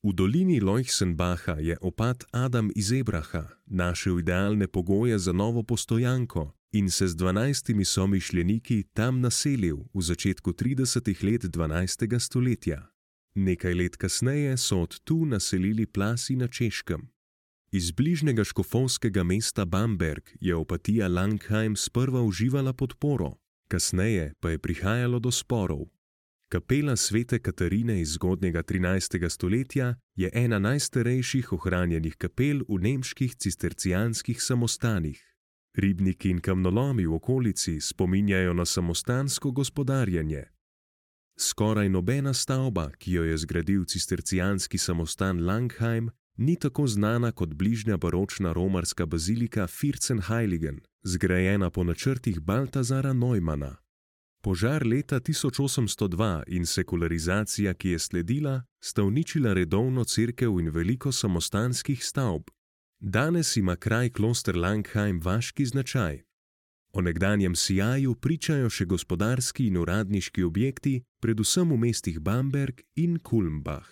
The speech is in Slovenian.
V dolini Leuchsenbacha je opat Adam iz Ebraha našel idealne pogoje za novo postojanko in se z 12 somišljeniki tam naselil v začetku 30 let 12. stoletja. Nekaj let kasneje so od tu naselili Plasi na Češkem. Iz bližnjega škofovskega mesta Bamberg je opatija Langheim sprva uživala podporo, kasneje pa je prihajalo do sporov. Kapela svete Katarine iz zgodnjega 13. stoletja je ena najstarejših ohranjenih kapel v nemških cistercijanskih samostanih. Ribniki in kamnolomi v okolici spominjajo na samostansko gospodarjenje. Skoraj nobena stavba, ki jo je zgradil cistercijanski samostan Langheim, ni tako znana kot bližnja baročna romarska bazilika Vierzehnheiligen, zgrajena po načrtih Baltazara Neumana. Požar leta 1802 in sekularizacija, ki je sledila, sta uničila redovno cerkev in veliko samostanskih stavb. Danes ima kraj kloster Langheim vaški značaj. O nekdanjem sijaju pričajo še gospodarski in uradniški objekti, predvsem v mestih Bamberg in Kulmbach.